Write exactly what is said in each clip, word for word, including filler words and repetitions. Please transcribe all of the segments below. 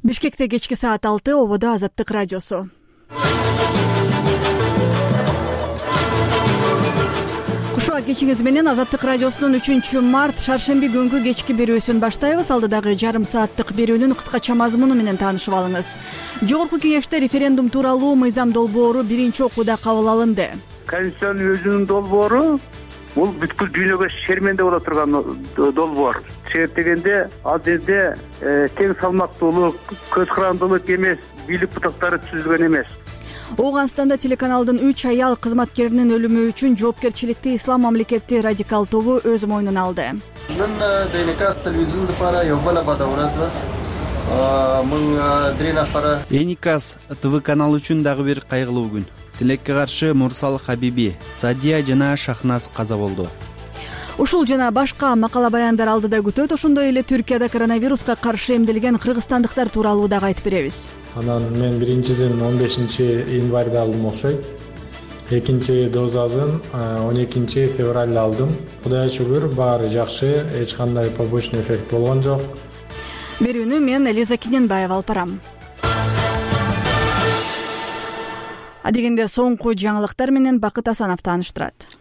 Бишкекте кечки саат алты, ободо Азаттык радиосу. Кушуа кечиңиз менен Азаттык радиосунун үчүнчү март шаршемби күнгү кечки берүүсүн баштайбыз. Алдыдагы жарым сааттык берүүнүн кыскача мазмуну менен таанышып алыңыз. Жогорку кеңеште референдум тууралуу мыйзам долбоору биринчи окууда кабыл алынды. Конституциянын өзүнүн долбоору бул бүткүл дүйнөгө шерменде боло турган долбоор. Себеп дегенде ал жерде тең салмактуулук, көз карандылык эмес, бийлик бутактары түзүлгөн эмес. Ооганстанда телеканалдын үч аял кызматкеринин өлүмү үчүн жоопкерчиликти Ислам мамлекети радикал тобу өз мойнуна алды. Эникас ТВ канал үчүн дагы бир кайгылуу күн. Тилекке каршы Мурсал Хабиби, Садия жана Шахназ каза болду. Ушул жана башка макала баяндар алдыда күтөт. Ошондой эле Түркияда коронавируска каршы эмделген кыргызстандыктар тууралуу дагы айтып беребиз. Анан мен биринчисин он бешинчи январда алдым окшойт. Экинчи дозасын он экинчи февралда алдым. Кудайга шүгүр, баары жакшы, эч кандай побочный эффект болгон жок. Берүүнү мен Элиза Киненбаева алып барам. Адегенде соңку жаңылыктар менен Бакыт Асанов тааныштырат.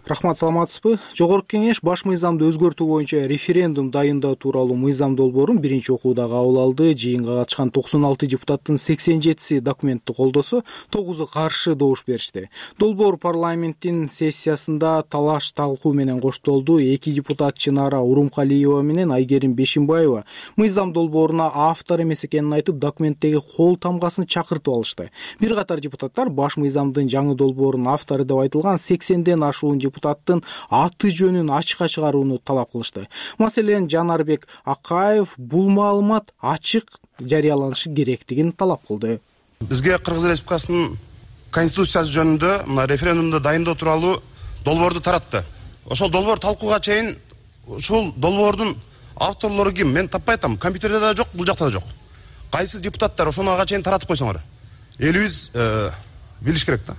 Рахмат, саламатсызбы? Жогорку кеңеш баш мыйзамды өзгөртүү боюнча референдум дайындоо тууралуу мыйзам долбоорун биринчи окууда кабыл алды. Жыйынга катышкан токсон алты депутаттын сексен жетиси документти колдосо, тогузу каршы добуш беришти. Долбоор парламенттин сессиясында талаш талкуу менен коштолду. Эки депутат Чынара Урумкалиева менен Айгерим Бешимбаева мыйзам долбооруна автор эмес экенин айтып, документтеги кол тамгасын чакыртып алышты. Бир катар депутаттар баш мыйзамдын жаңы долбоорунун автору деп айтылган сексенден ашуун депутаттын аты жөнүн ачыкка чыгарууну талап кылышты. Маселен, Жанарбек Акаев бул маалымат ачык жарыяланышы керектигин талап кылды. Бизге Кыргыз Республикасынын конституциясы жөнүндө мына референдумду дайындоо тууралуу долбоорду таратты. Ошол долбоор талкууга чейин ушул долбоордун авторлору ким? Мен таппай атам. Компьютерде да жок, бул жакта да жок. Кайсы депутаттар ошону ага чейин таратып койсоңор. Элибиз билиш керек да.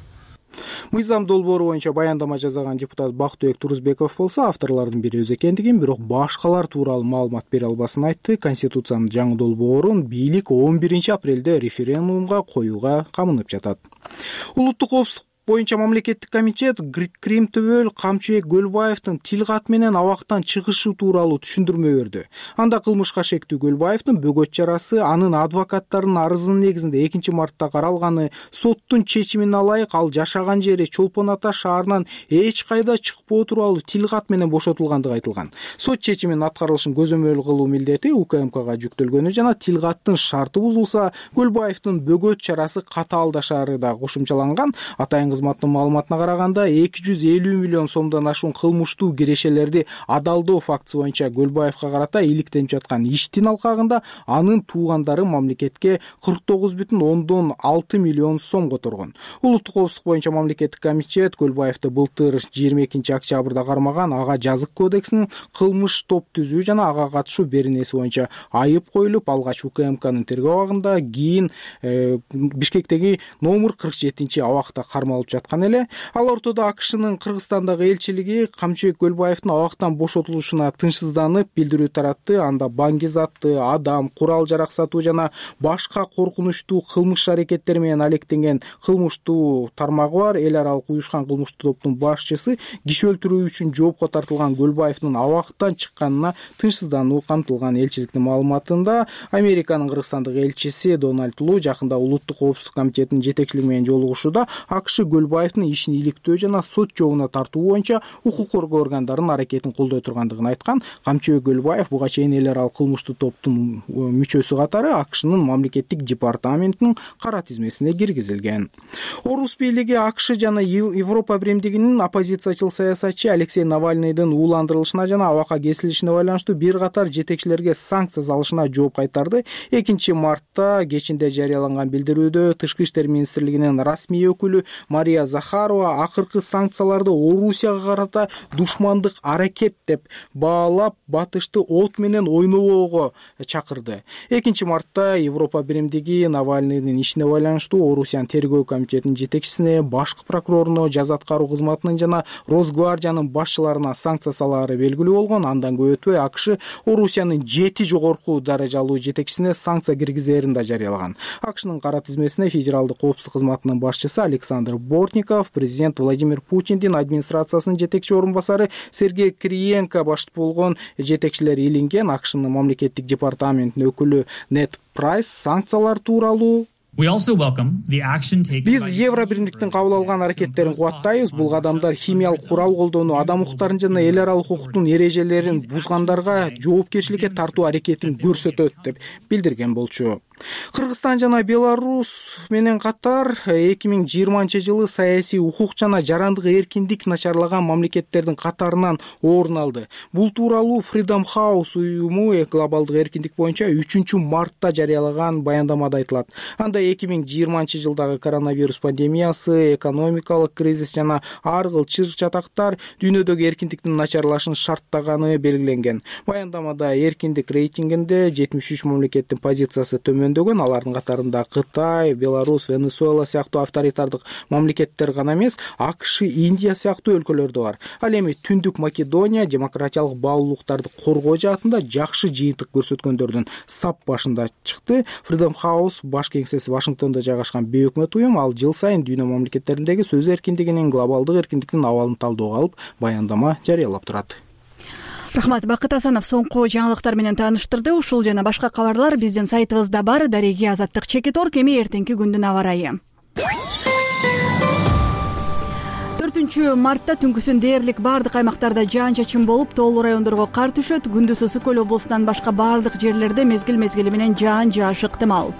Мыйзам долбоору боюнча баяндама жасаган депутат Бактыбек Турузбеков болсо, авторлордун бири өз экендигин, бирок башкалар тууралуу маалымат бере албасын айтты. Конституциянын жаңы долбоорун бийлик он биринчи апрелде референдумга коюуга камынып жатат. Улуттук коопсуздук боюнча мамлекеттик комитет Крим Төбөл Камчыбек Көлбаевдин тил кат менен абактан чыгышы тууралуу түшүндүрмө берди. Анда кылмышка шектүү Көлбаевдин бөгөт чарасы анын адвокаттарынын арызынын негизинде экинчи мартта каралганы, соттун чечимине ылайык ал жашаган жери Чолпон Ата шаарынан эч кайда чыкпоо тууралуу тил кат менен бошотулгандыгы айтылган. Сот чечиминин аткарылышын көзөмөл кылуу милдети УКМКга жүктөлгөнү жана тил каттын шарты бузулса, Көлбаевдин бөгөт чарасы катаалдашары да кошумчаланган. Атайын кызматтын маалыматына караганда эки жүз элүү миллион сомдон ашуун кылмыштуу кирешелерди адалдоо фактысы боюнча Көлбаевга карата иликтенип жаткан иштин алкагында анын туугандары мамлекетке кырк тогуз бүтүн ондон алты миллион сом которгон. Улуттук коопсуздук боюнча мамлекеттик комитет Көлбаевди былтыр жыйырма экинчи октябрда кармаган. Ага жазык кодексинин кылмыш топ түзүү жана ага катышуу беренеси боюнча айып коюлуп, алгач УКМКнын тергөө абагында, кийин э, Бишкектеги номер кырк жетинчи абакта кармалып жаткан эле. Ал ортодо АКШнын Кыргызстандагы элчилиги Камчыбек Көлбаевдин абактан бошотулушуна тынчсызданып билдирүү таратты. Анда баңги-затты, адам, курал жарак сатуу жана башка коркунучтуу кылмыш аракеттери менен алектенген кылмыштуу тармагы бар эл аралык уюшкан кылмыштуу топтун башчысы киши өлтүрүү үчүн жоопко тартылган Көлбаевдин абактан чыкканына тынчсыздануу камтылган. Элчиликтин маалыматында Американын Кыргызстандагы элчиси Дональд Лу жакында Улуттук коопсуздук комитетинин жетекчилиги менен жолугушууда АКШ Көлбаевдин ишин иликтөө жана сот жообуна тартуу боюнча укук коргоо органдарынын аракетин колдой тургандыгын айткан. Камчыбек Көлбаев буга чейин эл аралык кылмыштуу топтун мүчөсү катары АКШнын мамлекеттик департаментинин кара тизмесине киргизилген. Орус бийлиги АКШ жана Европа биримдигинин оппозициячыл саясатчы Алексей Навальныйдын ууландырылышына жана абакка кесилишине байланыштуу бир катар жетекчилерге санкция салышына жооп кайтарды. экинчи мартта кечинде жарыяланган билдирүүдө Тышкы иштер министрлигинин расмий өкүлү Мария Захарова акыркы санкцияларды Орусияга карата душмандык аракет деп баалап, батышты от менен ойнобоого чакырды. экинчи мартта Европа биримдиги Навальныйдын ишине байланыштуу Орусиянын тергөө комитетинин жетекчисине, башкы прокуроруна, жаза аткаруу кызматынын жана Росгвардиянын башчыларына санкция салаары белгилүү болгон. Андан көп өтпөй АКШ Орусиянын жети жогорку даражалуу жетекчисине санкция киргизерин да жарыялаган. АКШнын кара тизмесине федералдык коопсуздук кызматынын башчысы Александр Бортников, президент Владимир Путиндин администрациясынын жетекчи орун басары Сергей Кириенко баштап болгон жетекчилер илинген. АКШнын мамлекеттик департаментинин өкүлү Нет Прайс санкциялар тууралуу: биз Евро биримдиктин кабыл алган аракеттерин кубаттайбыз. Бул кадамдар химиялык курал колдонуу, адам укуктарын жана эл аралык укуктун эрежелерин бузгандарга жоопкерчиликке тартуу аракетин көрсөтөт деп билдирген болчу. Кыргызстан жана Беларусь менен катар эки миң жыйырманчы жылы саясий укук жана жарандык эркиндик начарлаган мамлекеттердин катарынан орун алды. Бул тууралуу Freedom House уюму глобалдык эркиндик боюнча үчүнчү мартта жарыялаган баяндамада айтылат. Анда эки миң жыйырманчы жылдагы коронавирус пандемиясы, экономикалык кризис жана ар кыл чыр-чатактар дүйнөдөгү эркиндиктин начарлашын шарттаганы белгиленген. Баяндамада эркиндик рейтингинде жетимиш үч мамлекеттин позициясы төмөн. Алардын катарында Кытай, Беларусь, Венесуэла сыяктуу авторитардык мамлекеттер гана эмес, АКШ, Индия сыяктуу өлкөлөр да бар. Ал эми Түндүк Македония демократиялык баалуулуктарды коргоо жаатында жакшы жыйынтык көрсөткөндөрдүн сап башында чыкты. Freedom House баш кеңсеси Вашингтондо жайгашкан бейөкмөт уюм. Ал жыл сайын дүйнө мамлекеттериндеги сөз эркиндигинин, глобалдык эркиндиктин абалын талдөөгө алып, баяндама жарыялап турат. Рахмат. Бакыт Асанов соңку жаңылыктар менен тааныштырды. Ушул жана башка кабарлар биздин сайтыбызда бар. Дареги Азаттык Чекиторг. Эми эртеңки күндүн аба ырайы. төртүнчү мартта түнкүсүн дээрлик бардык аймактарда жаан-чачын болуп, тоолуу райондорго кар түшөт. Күндүз Ысык көл облусунан башка бардык жерлерде мезгил-мезгили менен жаан жаашы ыктымал.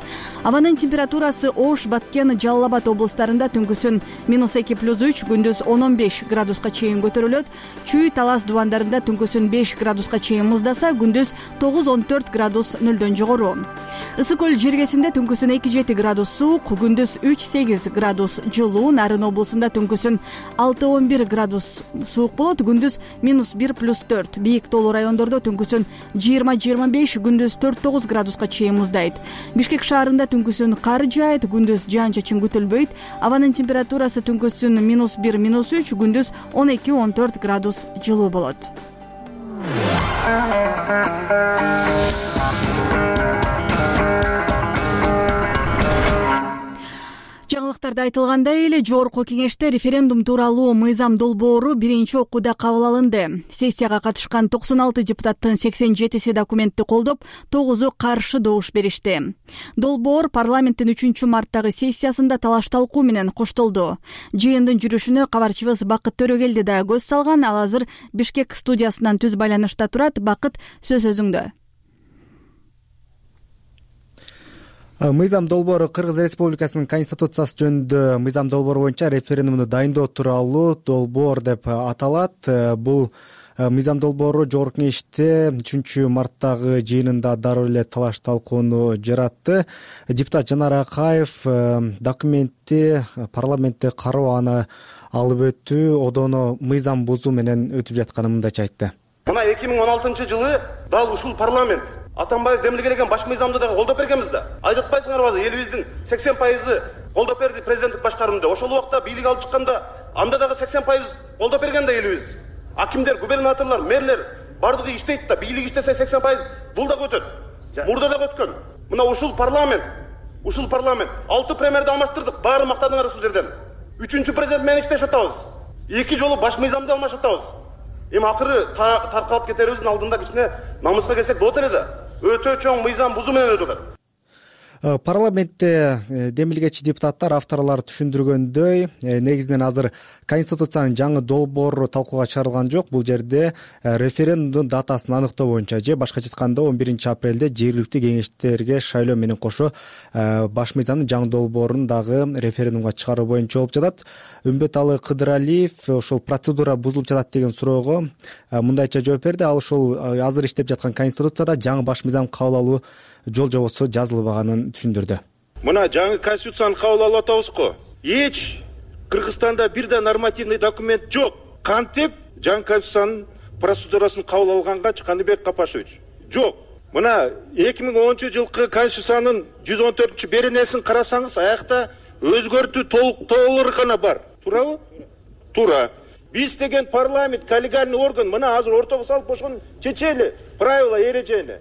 Абанын температурасы Ош, Баткен, Жалал Абад облустарында түнкүсүн минус эки плюс үч, күндүз он он беш градуска чейин көтөрүлөт. Чүй, Талас дубандарында түнкүсүн беш градуска чейин муздаса, күндүз тогуз он төрт градус нөлдөн жогору. Ысык көл жергесинде түнкүсүн эки жети градус суук, күндүз үч сегиз градус жылуу. Нарын облусунда түнкүсүн алты он бир градус суук болот, күндүз минус бир плюс төрт. Бийик тоолуу райондордо түнкүсүн жыйырма жыйырма беш, күндүз төрт тогуз градуска чейин муздайт. Бишкек шаарында түнкүсүн кар жаайт, күндүз жаан-чачын күтүлбөйт. Абанын температурасы түнкүсүн минус бир минус үч, күндүз он эки он төрт градус жылуу болот. Жаңылыктарда айтылгандай эле жогорку кеңеште референдум тууралуу мыйзам долбоору биринчи окууда кабыл алынды. Сессияга катышкан токсон алты депутаттын сексен жетиси документти колдоп, тогузу каршы добуш беришти. Долбоор парламенттин үчүнчү марттагы сессиясында талаш-талкуу менен коштолду. Жыйындын жүрүшүнө кабарчыбыз Бакыт Төрөгелди да көз салган. Ал азыр Бишкек студиясынан түз байланышта турат. Бакыт, сөз өзүңдө. Мыйзам долбоору Кыргыз Республикасынын Конституциясы жөнүндө мыйзам долбоору боюнча референдумду дайындоо тууралуу долбоор деп аталат. Бул мыйзам долбоору жогорку кеңеште үчүнчү марттагы жыйынында дароо эле талаш талкууну жаратты. Депутат Жанар Акаев документти парламентте кароо аны алып өтүү, одоно мыйзам бузуу менен өтүп жатканын мындайча айтты. Мына эки миң он алтынчы жылы дал ушул парламент Атамбаев демилгелеген баш мыйзамды дагы колдоп бергенбиз да. Айтып атпайсыңарбы, элибиздин сексен пайызы колдоп берди президенттик башкарымда. Ошол убакта бийлик алып чыкканда анда дагы сексен пайыз колдоп берген да элибиз. Акимдер, губернаторлор, мэрлер бардыгы иштейт да, бийлик иштесе сексен пайыз бул дагы өтөт. Мурда дагы өткөн. Мына ушул парламент, ушул парламент алты премьерди алмаштырдык. Баары мактадыңар ушул жерден. Үчүнчү президент менен иштешип атабыз. Эки жолу баш мыйзамды алмашып атабыз. Эми акыры таркалып кетерибиздин алдында кичине намыска келсек болот эле да. Өтө чоң мыйзам бузуу менен өтүп атат. Парламентте демилгечи депутаттар авторлор түшүндүргөндөй, негизинен азыр Конституциянын жаңы долбоору талкууга чыгарылган жок. Бул жерде референдумдун датасын аныктоо боюнча же башкача айтканда он биринчи апрелде жергиликтүү кеңештерге шайлоо менен кошо баш мыйзамдын жаңы долбоорун дагы референдумга чыгаруу боюнча болуп жатат. Үмбеталы Кыдыралиев ошол процедура бузулуп жатат деген суроого мындайча жооп берди. Ал ошол азыр иштеп жаткан Конституцияда жаңы баш мыйзам кабыл алуу жол жобосу жазылбаганын түшүндүрдү. Мына жаңы Конституцияны кабыл алып атабызго. Эч Кыргызстанда бир да нормативный документ жок. Кантип жаңы конституциянын процедурасын кабыл алганга Каныбек Капашевич жок. Мына эки миң онунчу жылкы конституциянын жүз он төртүнчү беренесин карасаңыз, аякта өзгөртүү толуктоолор гана бар. Туурабы? Туура. Биз деген парламент, коллегиальный орган, мына азыр ортого салып ошону чечели, правила, эрежени.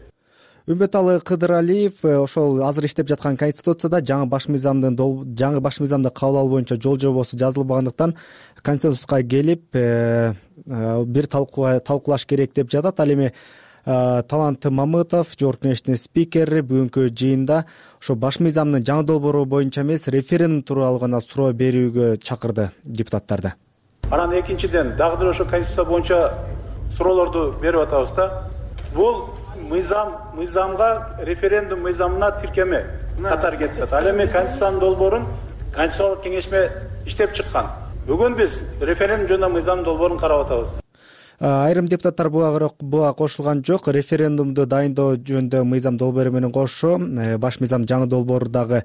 Үмбеталы Кыдыралиев ошол азыр иштеп жаткан конституцияда жаңы баш мыйзамдын жаңы баш мыйзамды кабыл алуу боюнча жол жобосу жазылбагандыктан консенсуска келип бир талкуулаш керек деп жатат. Ал эми Талант Мамытов, Жогорку Кеңештин спикери, бүгүнкү жыйында ошо баш мыйзамдын жаңы долбоору боюнча эмес, референдум тууралуу гана суроо берүүгө чакырды депутаттарды. Анан экинчиден дагы бир ошо конституция боюнча суроолорду берип атабыз да. Бул мыйзам мыйзамга референдум мыйзамына тиркеме катары кетип атат. Ал эми конституциянын долбоорун Конституциялык кеңешме иштеп чыккан. Бүгүн биз референдум жөнүндө мыйзамдын долбоорун карап атабыз. Айрым депутаттар буга кошулган жок. Референдумду дайындоо жөнүндө мыйзам долбоору менен кошо баш мыйзам жаңы долбоору дагы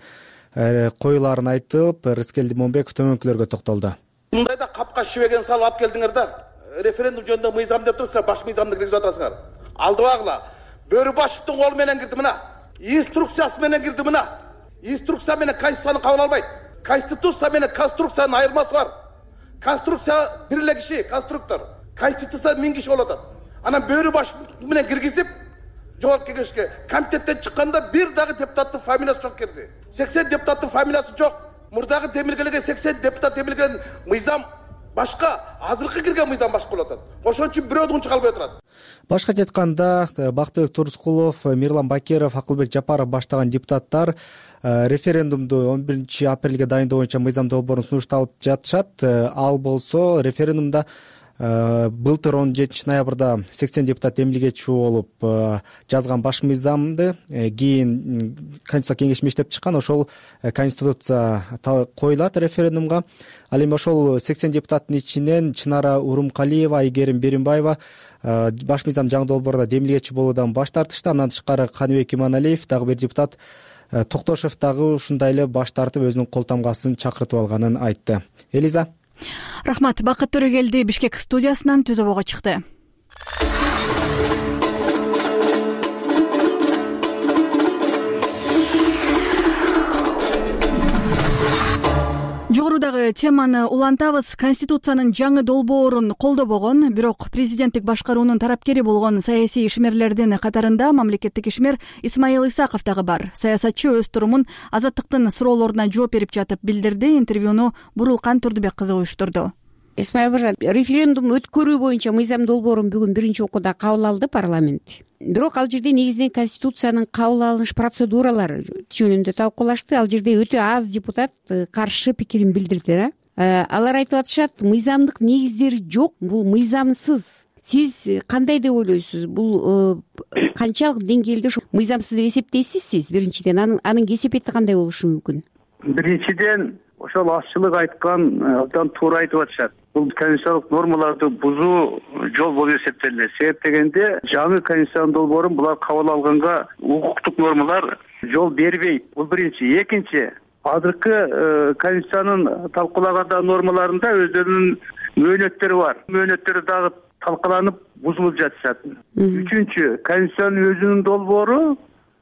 коюларын айтып, Рыскелди Момбеков төмөнкүлөргө токтолду. Мындайда капка шибеген салып алып келдиңер да. Референдум жөнүндө мыйзам деп туруп, силер баш мыйзамды киргизип атасыңар. Алдыбагыла. Бөрүбашевдин колу менен кирди мына. Инструкциясы менен кирди мына. Инструкция менен конституцияны кабыл албайт. Конституция менен конструкциянын айырмасы бар. Конструкция бир эле киши, конструктор. Конституция миң киши болот. Анан Бөрүбашев менен киргизип, Жогорку Кеңешке комитеттен чыкканда бир дагы депутаттын фамилиясы жок кирди. сексен депутаттын фамилиясы жок. Мурдагы темиргелеген сексен депутат темиргелген мыйзам башка, азыркы кирген мыйзам башка болот. Ошон үчүн бирөөдүн чыгалбай турат. Башкача айтканда, Бактыбек Турскулов, Мирлан Бакиров, Акылбек Жапаров баштаган депутаттар референдумду он биринчи апрелге дайындоо боюнча мыйзам долбоорун сунушталып жатышат. Ал болсо референдумда былтыр он жетинчи ноябрда сексен депутат эмилгечи болуп жазган баш мыйзамды кийин Конституция кеңеши иштеп чыккан. Ошол конституция коюлат референдумга. Ал эми ошол сексен депутаттын ичинен Чынара Урумкалиева, Айгерим Беримбаева баш мыйзам жаңы долбоорунда демилгечи болуудан баш тартышты. Андан тышкары Каныбек Иманалиев, дагы бир депутат Токтошев дагы ушундай эле баш тартып өзүнүн кол тамгасын чакыртып алганын айтты. Элиза. Рахмат. Бакыт Төрөгелди Бишкек студиясынан түзөбөгө чыкты. Жогорудагы теманы улантабыз. Конституциянын жаңы долбоорун колдобогон, бирок президенттик башкаруунун тарапкери болгон саясий ишмерлердин катарында мамлекеттик ишмер Исмаил Исаков дагы бар. Саясатчы өз турумун Азаттыктын суроолоруна жооп берип жатып билдирди. Интервьюну Бурулкан Турдубек кызы уюштурду. Исмаил мырза, референдум өткөрүү боюнча мыйзам долбоорун бүгүн биринчи окууда кабыл алды парламент. Бирок ал жерде негизинен конституциянын кабыл алыныш процедуралары жөнүндө талкуулашты. Ал жерде өтө аз депутат каршы пикирин билдирди. Алар айтып атышат, мыйзамдык негиздери жок, бул мыйзамсыз. Сиз кандай деп ойлойсуз? Бул канчалык деңгээлде мыйзамсыз деп эсептейсиз сиз? Биринчиден анын кесепети кандай болушу мүмкүн? Биринчиден ошол азчылык айткан абдан туура айтып атышат. Бул конституциялык нормаларды бузуу жол болуп эсептелет. Себеп дегенде жаңы конституциянын долбоорун булар кабыл алганга укуктук нормалар жол бербейт. Бул биринчи. Экинчи, азыркы конституциянын талкуулаганда нормаларында өздөрүнүн мөөнөттөрү бар. Мөөнөттөрү дагы талкаланып бузулуп жатышат. Үчүнчү, конституциянын өзүнүн долбоору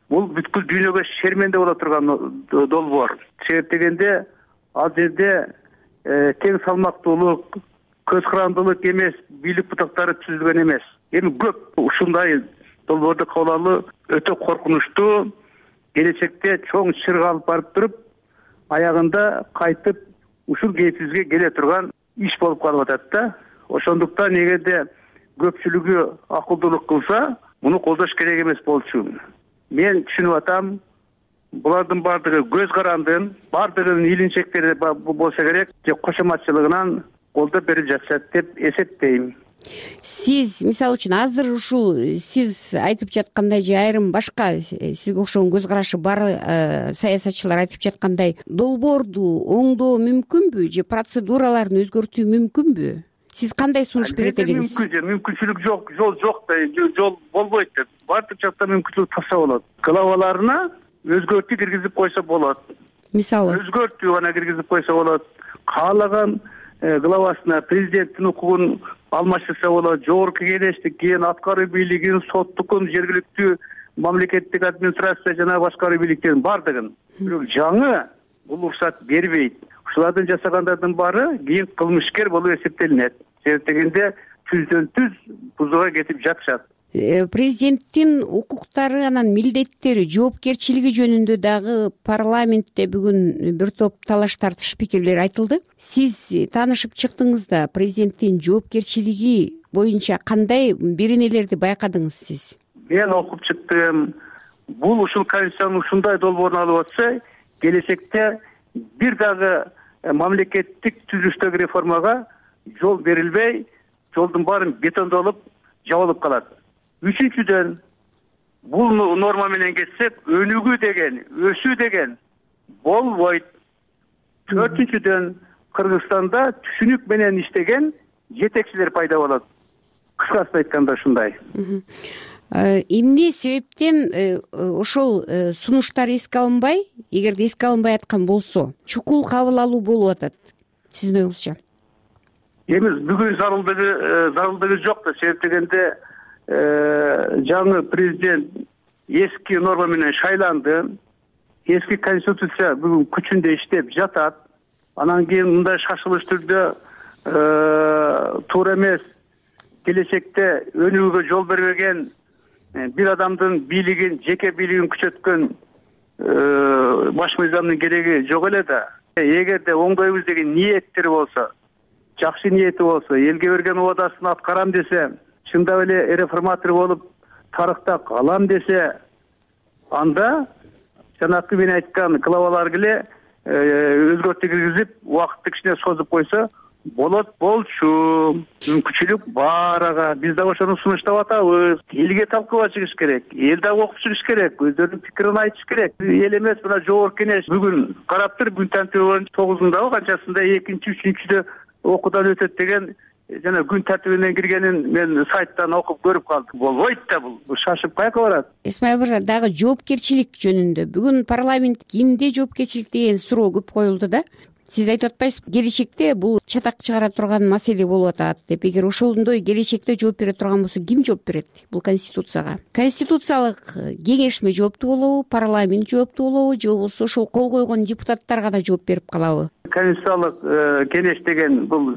бул бүткүл дүйнөгө шерменде боло турган долбоор. Себеп дегенде ал жерде тең салмактуулук, көз карандылык эмес, бийлик бутактары түзүлгөн эмес. Эми көп ушундай долбоорду кабыл алуу өтө коркунучтуу, келечекте чоң чырга алып барып туруп, аягында кайтып ушул кейпибизге келе турган иш болуп калып атат да. Ошондуктан эгерде көпчүлүгү акылдуулук кылса, муну колдош керек эмес болчу. Мен түшүнүп атам, булардын баардыгы көз карандын, баардыгынын илинчектери болсо керек, же кошоматчылыгынан колдоп берип жатышат деп эсептейм. Сиз, мисалы үчүн, азыр ушул сиз айтып жаткандай же айрым башка сизге окшогон көз карашы бар саясатчылар айтып жаткандай долбоорду оңдоо мүмкүнбү же процедураларын өзгөртүү мүмкүнбү? Сиз кандай сунуш берет элеңиз? Мүмкүн, мүмкүнчүлүк жок, жол жок да, жол болбойт деп. Баардык жакта мүмкүнчүлүк тапса болот. Главаларына өзгөртүү киргизип койсо болот. Мисалы өзгөртүү гана киргизип койсо болот. каалаган главасына президенттин укугун алмаштырса болот, жогорку кеңештикин, аткаруу бийлигин, соттукун, жергиликтүү мамлекеттик администрация жана башкаруу бийликтерин бардыгын. Бирок жаңы бул уруксат бербейт. Ушулардын жасагандардын баары кийин кылмышкер болуп эсептелинет. Себеп дегенде түздөн түз бузууга кетип жатышат. Президенттин укуктары анан милдеттери, жоопкерчилиги жөнүндө дагы парламентте бүгүн бир топ талаш тартыш пикирлер айтылды. Сиз таанышып чыктыңыз да президенттин жоопкерчилиги боюнча кандай беренелерди байкадыңыз сиз? Мен окуп чыктым. Бул ушул конституциянын ушундай долбоорун алып атса, келечекте бир дагы мамлекеттик түзүлүштөгү реформага жол берилбей, жолдун баарын бетондолуп, жабылып калат. Үчүнчүдөн, бул норма менен кетсек, өнүгүү деген, өсүү деген болбойт. Төртүнчүдөн, Кыргызстанда түшүнүк менен иштеген жетекчилер пайда болот. Кыскасы айтканда ушундай. Эмне себептен ошол сунуштар эске алынбай, эгерде эске алынбай аткан болсо, чукул кабыл алуу болуп атат сиздин оюңузча? Эми бүгүн зарылдыгы зарылдыгы жок да, себеп дегенде жаңы президент эски норма менен шайланды. Эски конституция бүгүн күчүндө иштеп жатат. Анан кийин мындай шашылыш түрдө туура эмес, келечекте өнүгүүгө жол бербеген бир адамдын бийлигин, жеке бийлигин күчөткөн баш мыйзамдын кереги жок эле да. Эгерде оңдойбуз деген ниеттери болсо, жакшы ниети болсо, элге берген убадасын аткарам десе, чындап эле реформатор болуп тарыхта калам десе, анда жанакы мен айткан главаларга эле өзгөртүү киргизип, убакытты кичине созуп койсо болот болчу. Мүмкүнчүлүк бар ага. Биз да ошону сунуштап атабыз. Элге талкууга чыгыш керек. Эл да окуп чыгыш керек. Өздөрүнүн пикирин айтыш керек. Эл эмес, мына жогорку кеңеш бүгүн карап тур, күн тартиби тогузундабы канчасында экинчи, үчүнчүдө окуудан өтөт деген жана күн тартибинен киргенин мен сайттан окуп көрүп калдым. Болбойт да бул. Шашып каяка барат? Исмаил мырза, дагы жоопкерчилик жөнүндө бүгүн парламент кимде жоопкерчилик деген суроо көп коюлду да. Сиз айтып атпайсыз, келечекте бул чатак чыгара турган маселе болуп атат деп. Эгер ошондой келечекте жооп бере турган болсо, ким жооп берет бул конституцияга? Конституциялык кеңешме жооптуу болобу, парламент жооптуу болобу, же болбосо ошол кол койгон депутаттар гана жооп берип калабы? Конституциялык кеңеш деген бул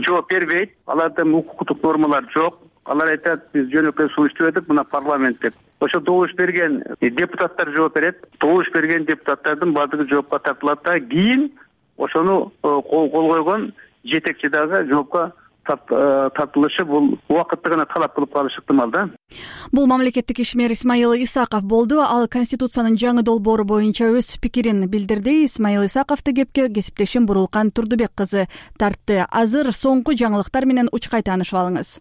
жооп бербейт. Аларда укуктук нормалар жок. Алар айтат, биз жөнөкөй сунуштап атып, мына парламент деп. Ошо добуш берген депутаттар жооп берет. Добуш берген депутаттардын баардыгы жоопко тартылат да, кийин ошону кол койгон жетекчи дагы жоопко тартылышы бул убакытты гана талап кылып калышы ыктымал да. Бул мамлекеттик ишмер Исмаил Исаков болду. Ал конституциянын жаңы долбоору боюнча өз пикирин билдирди. Исмаил Исаковду кепке кесиптешим Бурулкан Турдубек кызы тартты. Азыр соңку жаңылыктар менен учкай таанышып алыңыз.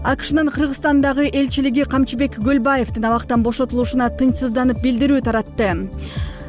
АКШнын Кыргызстандагы элчилиги Камчыбек Көлбаевдин абактан бошотулушуна тынчсызданып билдирүү таратты.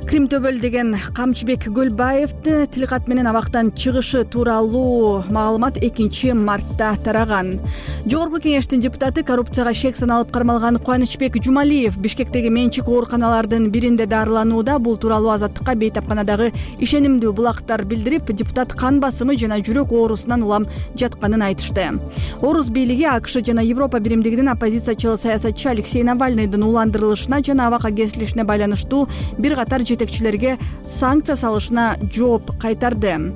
Крим төбөл деген Камчыбек Көлбаевди тилкат менен абактан чыгышы тууралуу маалымат экинчи мартта тараган. Жогорку кеңештин депутаты, коррупцияга шек саналып кармалган Кубанычбек Жумалиев Бишкектеги менчик ооруканалардын биринде дарыланууда. Бул тууралуу Азаттыкка бейтапканадагы ишенимдүү булактар билдирип, депутат кан басымы жана жүрөк оорусунан улам жатканын айтышты. Орус бийлиги АКШ жана Европа биримдигинин оппозициячыл саясатчы Алексей Навальныйдын уландырылышына жана абакка кесилишине байланыштуу бир катар жетекчилерге санкция салышына жооп кайтарды.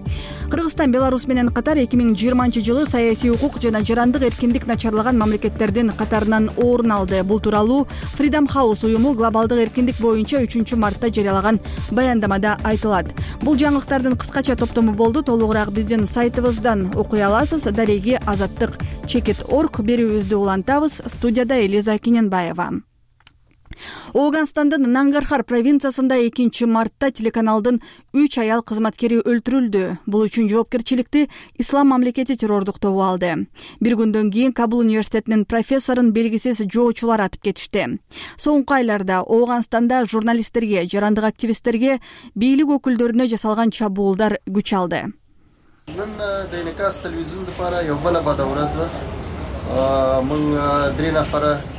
Кыргызстан Беларусь менен катар эки миң жыйырманчы жылы саясий укук жана жарандык эркиндик начарлаган мамлекеттердин катарынан орун алды. Бул тууралуу Freedom House уюму глобалдык эркиндик боюнча үчүнчү мартта жарыялаган баяндамада айтылат. Бул жаңылыктардын кыскача топтому болду. Толугураак биздин сайтыбыздан окуй аласыз. Дареги азаттык чекит орг берүүбүздү улантабыз. Студияда Элиза Кененбаева. Ооганстандын Нангархар провинциясында экинчи мартта телеканалдын үч аял кызматкери өлтүрүлдү. Бул үчүн жоопкерчиликти Ислам мамлекети террордук тобу алды. Бир күндөн кийин Кабул университетинин профессорун белгисиз жоочулар атып кетишти. Соңку айларда Ооганстанда журналисттерге, жарандык активисттерге, бийлик өкүлдөрүнө жасалган чабуулдар күч алды.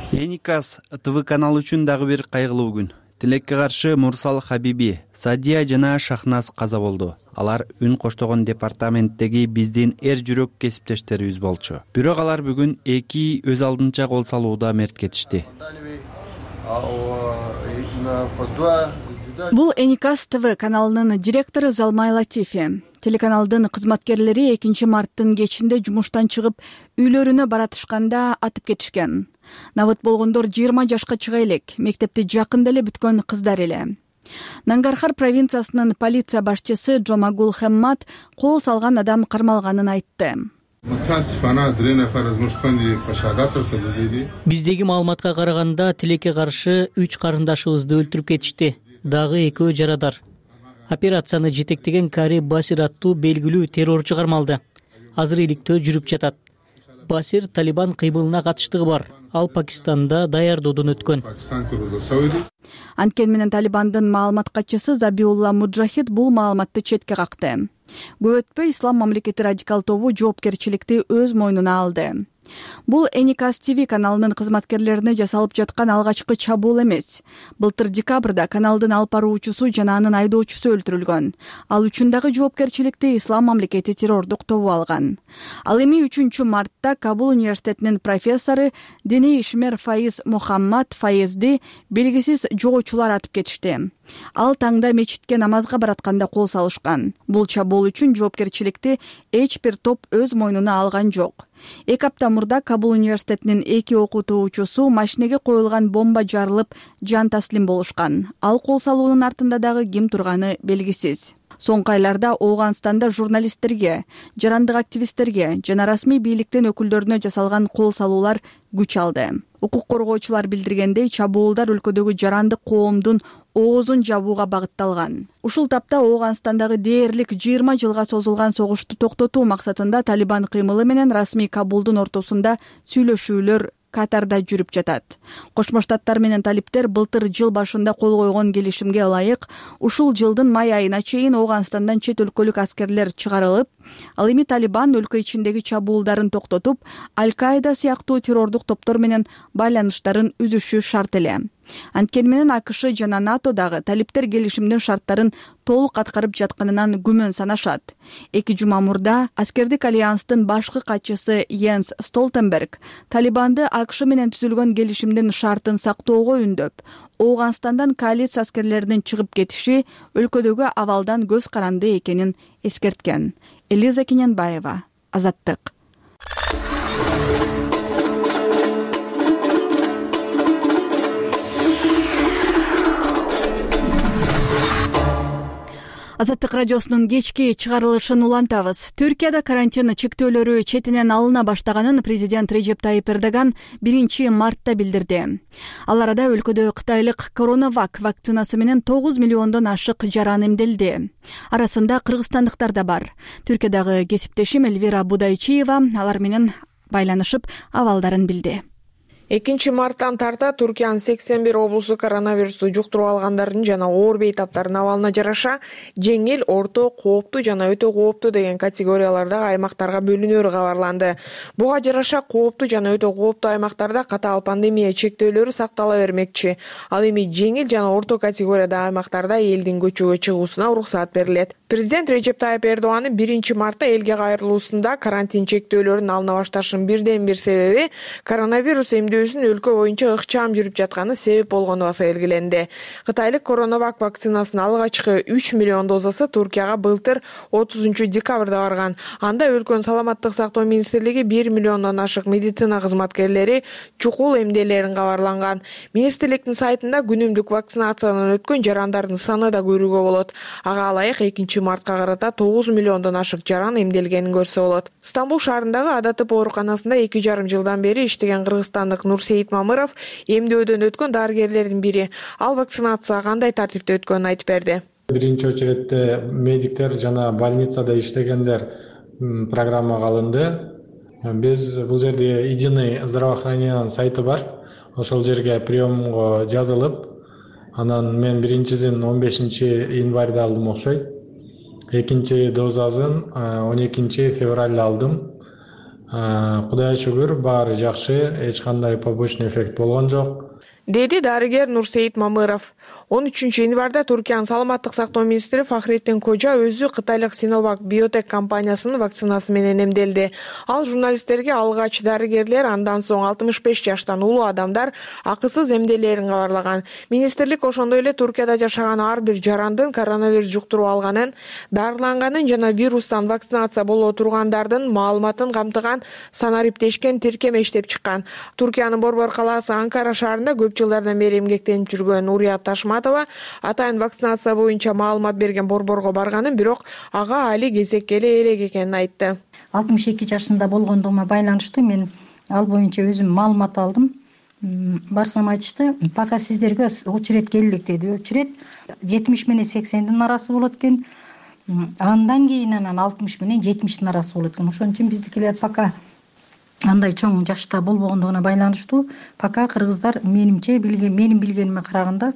Эникас ТВ каналы үчүн дагы бир кайгылуу күн. Тилекке каршы Мурсал Хабиби, Садия жана Шахназ каза болду. Алар үн коштогон департаменттеги биздин эр жүрөк кесиптештерибиз болчу. Бирок алар бүгүн эки өз алдынча кол салууда мерт кетишти. Бул Эникас ТВ каналынын директору Залмай Латифи. Телеканалдын кызматкерлери экинчи марттын кечинде жумуштан чыгып, үйлөрүнө баратышканда атып кетишкен. Набыт болгондор жыйырма жашка чыга элек, мектепти жакында эле бүткөн кыздар эле. Нангархар провинциясынын полиция башчысы Джомагул Хеммат кол салган адам кармалганын айтты. Биздеги маалыматка караганда тилекке каршы үч карындашыбызды өлтүрүп кетишти. Дагы экөө жарадар. Операцияны жетектеген Кари Басир аттуу белгилүү террорчу кармалды. Азыр иликтөө жүрүп жатат. Басир Талибан кыймылына катыштыгы бар. Ал Пакистанда даярдоодон өткөн. Анткени менен Талибандын маалымат катчысы Забиулла Муджахид бул маалыматты четке какты. Көп өтпөй Ислам мамлекети радикал тобу жоопкерчиликти өз мойнуна алды. Бул Эникас ТВ каналынын кызматкерлерине жасалып жаткан алгачкы чабуул эмес. Былтыр декабрда каналдын алып баруучусу жана анын айдоочусу өлтүрүлгөн. Ал үчүн дагы жоопкерчиликти Ислам мамлекети террордук тобу алган. Ал эми үчүнчү мартта Кабул университетинин профессору диний ишмер Фаиз Мухаммад Фаизди белгисиз жоочулар атып кетишти. Ал таңда мечитке намазга баратканда кол салышкан. Бул чабуул үчүн жоопкерчиликти эч бир топ өз мойнуна алган жок. Эки апта мурда Кабул университетинин эки окутуучусу машинеге коюлган бомба жарылып жан таслим болушкан. Ал кол салуунун артында дагы ким турганы белгисиз. Соңку айларда Ооганстанда журналисттерге, жарандык активисттерге жана расмий бийликтин өкүлдөрүнө жасалган кол салуулар күч алды. Укук коргоочулар билдиргендей, чабуулдар өлкөдөгү жарандык коомдун оозун жабууга багытталган. Ушул тапта Ооганстандагы дээрлик жыйырма жылга созулган согушту токтотуу максатында Талибан кыймылы менен расмий Кабулдун ортосунда сүйлөшүүлөр катарда жүрүп жатат. Кошмо Штаттар менен талиптер былтыр жыл башында кол койгон келишимге ылайык ушул жылдын май айына чейин Ооганстандан чет өлкөлүк аскерлер чыгарылып, ал эми Талибан өлкө ичиндеги чабуулдарын токтотуп, Аль-Каида сыяктуу террордук топтор менен байланыштарын үзүшү шарт эле. Анткени менен АКШ жана НАТО дагы талиптер келишимдин шарттарын толук аткарып жатканынан күмөн санашат. Эки жума мурда аскердик альянстын башкы катчысы Йенс Столтенберг Талибанды АКШ менен түзүлгөн келишимдин шартын сактоого үндөп, Ооганстандан коалиция аскерлеринин чыгып кетиши өлкөдөгү абалдан көз каранды экенин эскерткен. Элиза Кененбаева, Азаттык. Азаттык радиосунун кечки чыгарылышын улантабыз. Түркияда карантин чектөөлөрү четинен алына баштаганын президент Режеп Тайип Эрдоган биринчи мартта билдирди. Ал арада өлкөдө кытайлык Коронавак вакцинасы менен тогуз миллиондон ашык жаран эмделди. Арасында кыргызстандыктар да бар. Түркиядагы кесиптешим Эльвира Будайчиева алар менен байланышып абалдарын билди. экинчи марттан тарта Туркиянын сексен бир облусу коронавирусту жуктуруп алгандардын жана оор бейтаптардын абалына жараша жеңил, орто, кооптуу жана өтө кооптуу деген категориялардагы аймактарга бөлүнөрү кабарланды. Буга жараша кооптуу жана өтө кооптуу аймактарда катаал пандемия чектөөлөрү сактала бермекчи. Ал эми жеңил жана орто категориядагы аймактарда элдин көчөгө чыгуусуна уруксаат берилет. Президент Режеп Тайип Эрдоганын биринчи мартта элге кайрылуусунда карантин чектөөлөрүн алына башташынын бирден бир себеби коронавирус эмдөөсүн өлкө боюнча ыкчам жүрүп жатканы себеп болгону баса белгиленди. Кытайлык Коронавак вакцинасынын алгачкы үч миллион дозасы Туркияга былтыр отузунчу декабрда барган. Анда өлкөнүн саламаттык сактоо министрлиги бир миллиондон ашык медицина кызматкерлери чукул эмделерин кабарланган. Министрликтин сайтында күнүмдүк вакцинациядан өткөн жарандардын саны да көрүүгө болот. Ага ылайык экинчи мартка карата тогуз миллиондон ашык жаран эмделгенин көрсө болот. Стамбул шаарындагы Адатып ооруканасында эки жарым жылдан бери иштеген кыргызстандык Нурсейит Мамыров эмдөөдөн өткөн дарыгерлердин бири. Ал вакцинация кандай тартипте өткөнүн айтып берди. Биринчи очередте медиктер жана больницада иштегендер программага алынды. Биз бул жерде единый здравоохранениянын сайты бар. Ошол жерге приемго жазылып, анан мен биринчисин он бешинчи январда алдым окшойт. Экинчи дозасын он экинчи февралда алдым. Кудайга шүгүр, баары жакшы, эч кандай побочный эффект болгон жок. деди дарыгер Нурсейит Мамыров. он үчүнчү январда Туркиянын саламаттык сактоо министри Фахреттин Кожа өзү кытайлык Синовак биотек компаниясынын вакцинасы менен эмделди. Ал журналисттерге алгач дарыгерлер, андан соң алтымыш беш жаштан улуу адамдар акысыз эмделээрин кабарлаган. Министрлик ошондой эле Туркияда жашаган ар бир жарандын коронавирус жуктуруп алганын, дарыланганын жана вирустан вакцинация боло тургандардын маалыматын камтыган санариптешкен тиркеме иштеп чыккан. Туркиянын борбор калаасы Анкара шаарында көп жылдардан бери эмгектенип жүргөн Урият Ташматова атайын вакцинация боюнча маалымат берген борборго барганын, бирок ага али кезекке эле элек экенин айтты. алтымыш эки жашында болгондугума байланыштуу мен ал боюнча өзүм маалымат алдым. Барсам айтышты, пока сиздерге очередь келдик деди. Очередь жетимиш менен сексендин арасы болот экен. Андан кийин анан алтымыш менен жетимиштин арасы болот экен. Ошон үчүн биздикилер пока андай чоң жашта болбогондугуна байланыштуу, пока кыргыздар менимче билген, менин билгениме караганда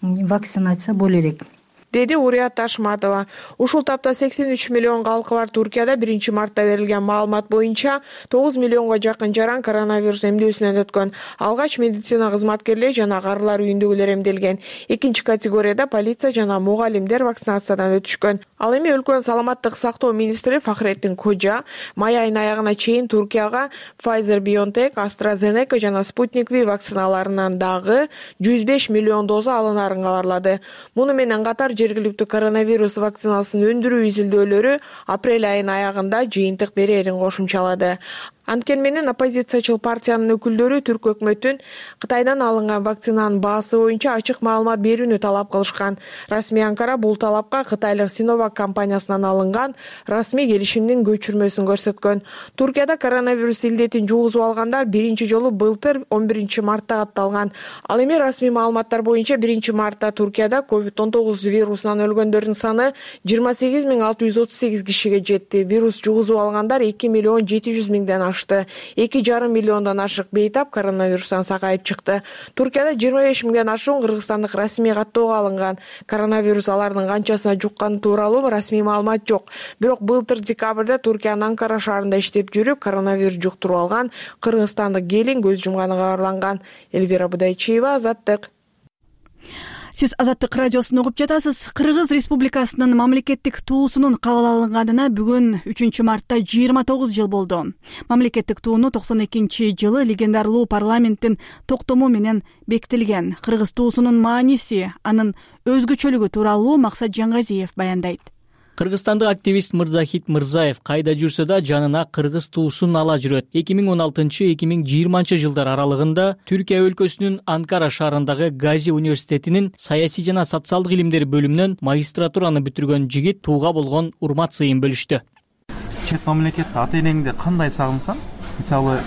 вакцинация боло элек, деди Урият Ташматова. Ушул тапта сексен үч миллион калкы бар Туркияда биринчи мартта берилген маалымат боюнча тогуз миллионго жакын жаран коронавирус эмдөөсүнөн өткөн. Алгач медицина кызматкерлери жана карылар үйүндөгүлөр эмделген. Экинчи категорияда полиция жана мугалимдер вакцинациядан өтүшкөн. Ал эми өлкөнүн саламаттык сактоо министри Фахреттин Кожа май айынын аягына чейин Туркияга Pfizer BioNTech, AstraZeneca жана Sputnik V вакциналарынан дагы жүз беш миллион доза алынарын кабарлады. Муну менен катар жергиликтүү коронавирус вакцинасын өндүрүү изилдөөлөрү апрель айынын аягында жыйынтык берерин кошумчалады. Анткени менен оппозициячыл партиянын өкүлдөрү Түрк өкмөтүн Кытайдан алынган вакцинанын баасы боюнча ачык маалымат берүүнү талап кылышкан. Расмий Анкара бул талапка кытайлык Синовак компаниясынан алынган расмий келишимдин көчүрмөсүн көрсөткөн. Туркияда коронавирус илдетин жугузуп алгандар биринчи жолу былтыр он биринчи мартта катталган. Ал эми расмий маалыматтар боюнча биринчи мартта Туркияда ковид он тогуз вирусунан өлгөндөрдүн саны жыйырма сегиз миң алты жүз отуз сегиз кишиге жетти. Вирус жугузуп алгандар эки миллион жети жүз миңден ашты. эки жарым миллиондон ашык бейтап коронавирустан сакайып чыкты. Туркияда жыйырма беш миңден ашуун кыргызстандык расмий каттоого алынган. Коронавирус алардын канчасына жукканы тууралуу расмий маалымат жок. Бирок былтыр декабрда Туркиянын Анкара шаарында иштеп жүрүп, коронавирус жуктуруп алган кыргызстандык келин көз жумганы кабарланган. Эльвира Будайчиева, Азаттык. Сиз Азаттык радиосун угуп жатасыз. Кыргыз Республикасынын мамлекеттик туусунун кабыл алынганына бүгүн үчүнчү мартта жыйырма тогуз жыл болду. Мамлекеттик тууну токсон экинчи жылы легендарлуу парламенттин токтому менен бекитилген. Кыргыз туусунун мааниси, анын өзгөчөлүгү тууралуу Максат Жаңгазиев баяндайт. Кыргызстандык активист Мырзахит Мырзаев кайда жүрсө да жанына кыргыз туусун ала жүрөт. эки миң он алтынчы — эки миң жыйырманчы жылдар аралыгында Түркия өлкөсүнүн Анкара шаарындагы Гази университетинин саясий жана социалдык илимдер бөлүмүнөн магистратураны бүтүргөн жигит тууга болгон урмат сыйын бөлүштү. Чет мамлекетте ата энеңди кандай сагынсаң, мисалы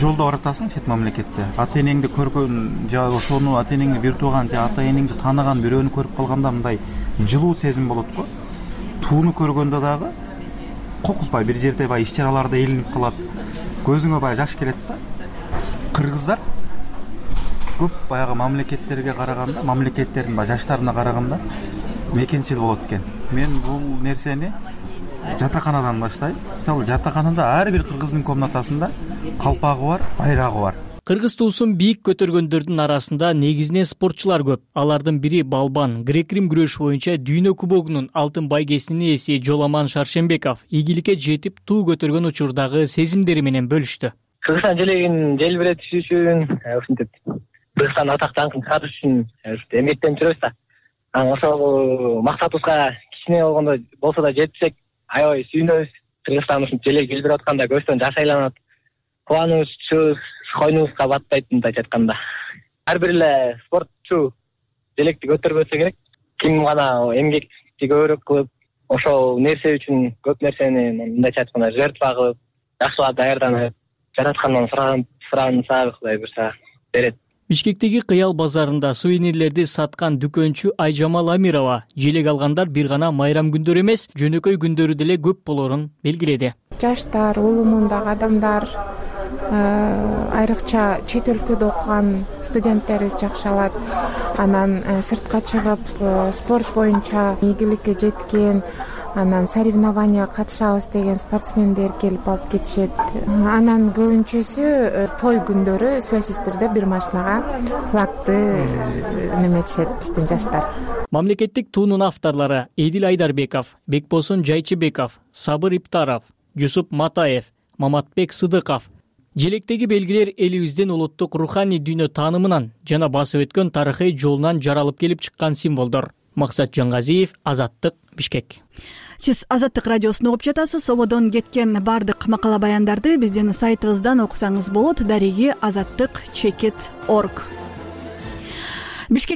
жолдо баратасың чет мамлекетте, ата энеңди көргөн же ошону ата энеңди бир тууган же ата энеңди тааныган бирөөнү көрүп калганда мындай жылуу сезим болот го. Тууну көргөндө дагы кокузбай бир жерде бай иш чараларда элинип калат, көзүңө бай жаш келет да. Кыргыздар көп баягы мамлекеттерге караганда, мамлекеттердин бай жаштарына караганда мекенчил болот экен. Мен бул нерсени жатаканадан баштайм. Мисалы жатаканада ар бир кыргыздын комнатасында калпагы бар, байрагы бар. Кыргыз туусун бийик көтөргөндөрдүн арасында негизинен спортчулар көп. Алардын бири балбан, грек-рим күрөшү боюнча дүйнө кубогунун алтын байгесинин ээси Жоламан Шаршембеков ийгиликке жетип туу көтөргөн учурдагы сезимдери менен бөлүштү. Кыргызстан желегин желбиретиш үчүн, ушинтип Кыргызстан атак даңкын чыгарыш үчүн эмгектенип жүрөбүз да. Ошол максатыбызга кичине болгондо болсо да жетсек, аябай сүйүнөбүз. Кыргызстан ушинтип желеги желбирип атканда көзтөн жаш айланат. Кубанычыбыз койнубузга батпайт, мындайча айтканда. Ар бир эле спортчу желекти көтөрбөсө керек. Ким гана эмгекти көбүрөөк кылып, ошол нерсе үчүн көп нерсени мындайча айтканда жертва кылып, жакшылап даярданып, жараткандан суранса Кудай буйрса берет. Бишкектеги Кыял базарында сувенирлерди саткан дүкөнчү Айжамал Амирова желек алгандар бир гана майрам күндөрү эмес, жөнөкөй күндөрү деле көп болорун белгиледи. Жаштар, улуу мундагы адамдар, айрыкча чет өлкөдө окуган студенттерибиз жакшы алат. Анан сыртка чыгып спорт боюнча ийгиликке жеткен анан соревнованияга катышабыз деген спортсмендер келип алып кетишет. Анан көбүнчөсү той күндөрү сөзсүз түрдө бир машинага флагты неметишет биздин жаштар. Мамлекеттик туунун авторлору Эдил Айдарбеков, Бекбосун Жайчыбеков, Сабыр Иптаров, Жусуп Матаев, Маматбек Сыдыков. Желектеги белгилер элибиздин улуттук руханий дүйнө таанымынан жана басып өткөн тарыхый жолунан жаралып келип чыккан символдор. Максат Жангазиев, Азаттык, Бишкек. Сиз Азаттык радиосун угуп жатасыз. Сободон кеткен бардык макала баяндарды биздин сайтыбыздан окусаңыз болот. Дареги азаттык чекит точка орг. Бишкек